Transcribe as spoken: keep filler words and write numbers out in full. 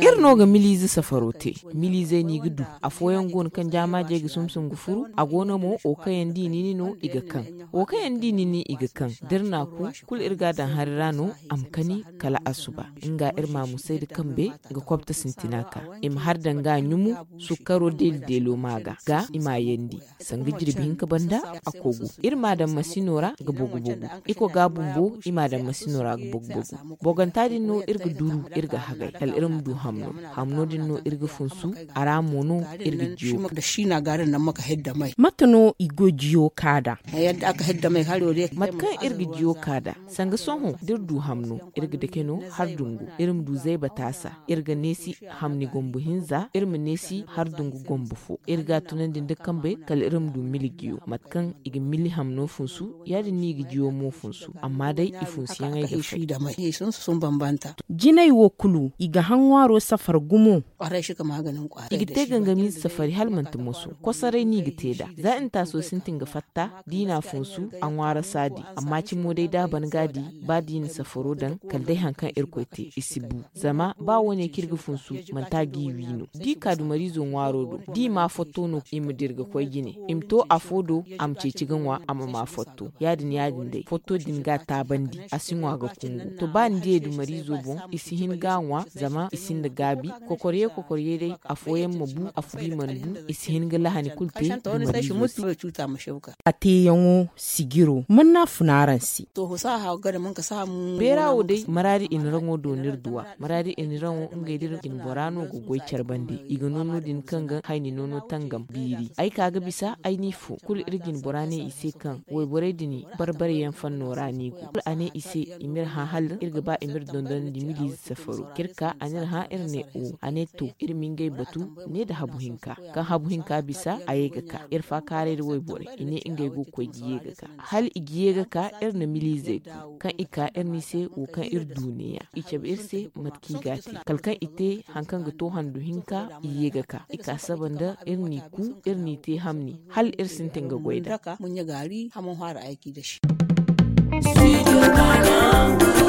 Iri no ga miliize safaro te. Miliizey no i ga du. Afooyaŋ go no kaŋ jaamaajey ga sumsum ga furu. A go no mo wo kaŋ yaŋ da i nini no i ga kaŋ. Wo kaŋ yaŋ da i nini i ga kaŋ da iri na a ku, kulu iri ga a daŋ hari ra no. A ma kani kala asuba. Nga iri ma a musay nda kambe ga kobta sintina ka i ma har danga a ɲumu. Sukkaro deeli deelo ma ga ga i ma a yandi. Sanga jirbi hinka banda a kogu. Iri ma a daŋ masino ra ga bogu bogu. Iko ga bumbo i ma a daŋ masino ra ga bogu bogu. Boganta din no iri ga duru iri ga hagay kala iri ma du hamno. Hamno din no iri ga funsu. A ra mo no iri ga jiyo. Mate no i go jiyo ka da? Mate kaŋ iri ga jiyo ka da, sanga sohõ da iri du hamno, iri ga dake no har dungu. Iri ma du zayba taasa. Iri ga neesi hamni gombo hinza, iri ma neesi har dungu gombo fo. Iri ga a tunandi nda kambe kala iri ma du mili jiyo. Mate kaŋ i ga mili hamno funsu, ya- din no i ga jiyo mo funsu. Amma day i funsuyaŋey ga fay. Jinay wo kulu i ga haŋ ŋwaaro safar gumo. I ga te gangamiize safari hala manti moso. Kosoray no i ga te nd'a. Za intaaso sintin ga fatta, da i na a funsu, a ŋwaara saadi. Amma cimo day da a ban ga a di, ba da i na safaro daŋ kala day hari kaŋ irkoy te i si bu. Zama ba wo- ne kaŋ iri ga funsu, manti a g'i wi no. Da i ka dumariizo ŋwaaro do, da i ma a fotto no i ma dira ga koy jine. I ma to afo do, a ma ceeci ga ŋwa a ma ma fotto. Ya- din ya- din day fotto din ga a taabandi, a si ŋwa ga kungu. To ba ni diyey dumariizo boŋ, i si hin ga a ŋwa. Zama i sinda gaabi. Kokorye kokorye day, afooyaŋ ma bu, afo di mana bu. I si hin ga lahani kulu te dumariizo se. A teeyaŋo sijiro man no a fun araŋ se? Beera wo day maraadi iniraŋo do no iri du a. Maraadi iniraŋo ngey da iri jine bora no ga goy care bande. I ga no no- din kaŋ ga hayni noono tangam biiri. Ay ka ga bisa ay n'i fo kulu iri jine bora ne i se kaŋ wayborey din barbare yaŋ fanno ra no i go. Kulu a ne i se i m'iri hã hala iri ga ba i m'iri dondonandi miliize safaro. K'iri ka a n'iri hã iri ne o. A ne to, iri ma ngey batu ne nda habu hinka. Kaŋ habu hinka bisa a ye ga ka iri faakaaray nda wayborey i ne ngey go ga koy ga ye ga ka. Hala i ga ye ga ka iri na miliizey du. Kaŋ i ka iri n'i se wo kaŋ iri du neeya i cabe iri se. Mate kaŋ i ga a te kala kaŋ i te hari kaŋ ga to handu hinka i ye ga ka i ka saba nda iri n'i ku. Iri n'i te hamni hala iri sintin ga goy nd'a. Studio Ghana.